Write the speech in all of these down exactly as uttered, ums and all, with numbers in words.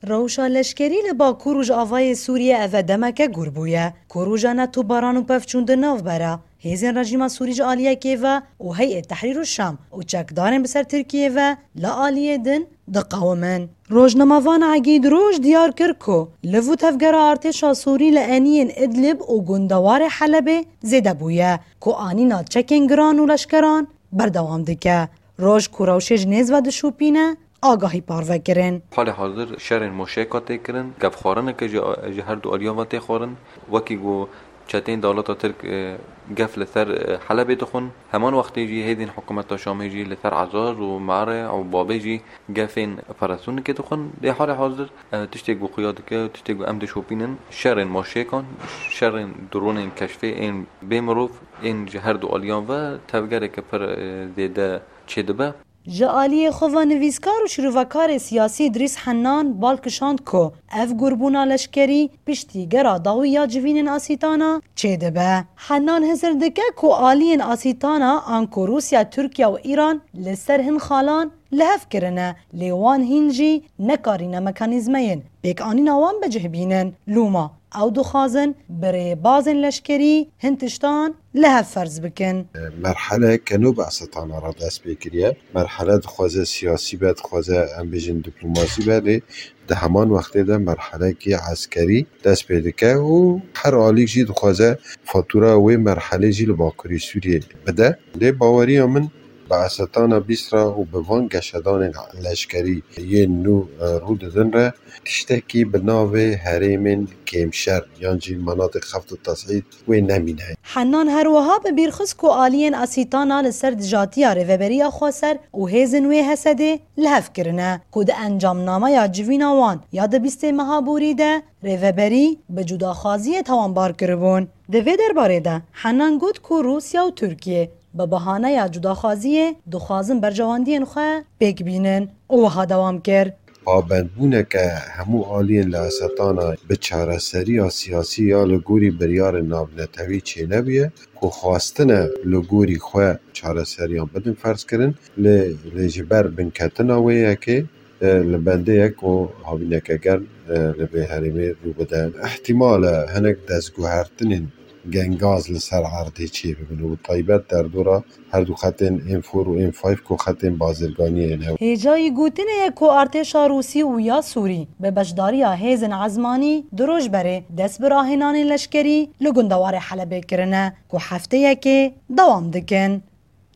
Rewşa leşkerî li Bakur û Rojavayê Sûriyê eve demeke gûr bûye, ku roja netûbaran û pevçûn di navbera hêzên rejîma Sûrî ji aliyekê ve û Heyê Tehrîr û Şam û çekdarên bi ser Tirkiyê ve li aliyê din diqewimin. Rojnamevan Egîd Roj diyar kir ku liv û tevgera artêşa Sûrî li eniyên Idlib û gundewarê Helebê zêde bûye, ku anîna çekên giran û leşkeran berdewam dike. Roj ku rewşê ji nêz ve dişopîne, agahî parve kirin. Halê hazir şerên moşeka tê kirin, gefxwarineke ji, ji her du aliyan ve tê xwarin. Wekî ku çeteyên dewleta Tirk, e, gef li ser, e, Helebê dixwin. Heman wextê jî hêzên hikûmeta Şamê jî li ser Ezaz û Mearê û Babê jî gefên operasyonikê dixwin. Lê halê hazir, e, tiştê ku xuya dike, tiştê ku em dişopînin, şerên moşekan, şerên dronên keşfê ên bê mirov, ên ji her du aliyan ve tevgereke pir, e, zêde çêdibe. Ji aliyê xwe ve nivîskar û şîrovekarê siyasî Îdrîs Hennan bal kişand ku ev gurbûna leşkerî piştî gera dawî ya civînên Asîtana çêdibe. Hennan hizir dike ku aliyên Asîtana anku Rûsya, Tirkiye û Îran li ser hin xalan li hev kirine, lê wan hîn jî nekarîne mekanîzmeyên pêkanîna wan bi cih bînin. Lûma ew dixwazin bi rêbazên leşkerî hin tiştan li hev ferz bikin. Merhele ke nû bi Esetana re dest pê kiriye. Merhele dixwaze siyasî be, dixwaze em bêjin diplomasî be, lê di heman wextê de merhelekî eskerî dest pê dike û her alîk jî dixwaze fatûra wê merhelê jî li Bakurê Sûriyê bide. Lê baweriya min bi Esetana bîst re û bi van geşedanên leşkerî yên nû, e, rû didin re tiştekî bi navê herêmên kêmşer yan jî menatê xeft û tesîd wê nemîne. Hennan her wiha bi bîr xist ku aliyên Asîtana li ser dijatiya Rêveberiya Xweser û hêzên wê Hesedê li hev kirine ku di encamnameya civîna wan ya di bîstê meha borî de Rêveberî bi cudaxwaziyê tawanbar kiribûn. Di vê derbarê de Hennan got ku Rûsya û Tirkiye bi bahaneya cudaxwaziyê dixwazin berjewendiyên xwe pêk bînin û wiha dewam kir. Pabendbûneke hemû aliyên li Esetana bi çareseriya siyasî ya li gorî biryarên navnetewî çênebûye ku xwestine li gorî xwe çareseriyan bidin ferzkirin, lê, lê ji ber binketina wê yekê, e, li bendê ye ku havîneke germ, e, li vê herêmê rû bide. Îhtîmal e hinek destguhertinên gengaz li ser erdê çêbibin û bi taybet derdora her du xetên M four û M five ku xetên bazirganiyê ne. Hêjayî gotinê ye ku artêşa Rûsî û ya Sûrî bi beşdariya hêzên ezmanî du roj berê dest bi rahênanên leşkerî li gundewarê Helebê kirine ku hefteyekê dewam dikin.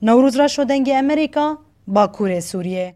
Newroz Reşo, Dengê Amerîka, Bakurê Sûriyê.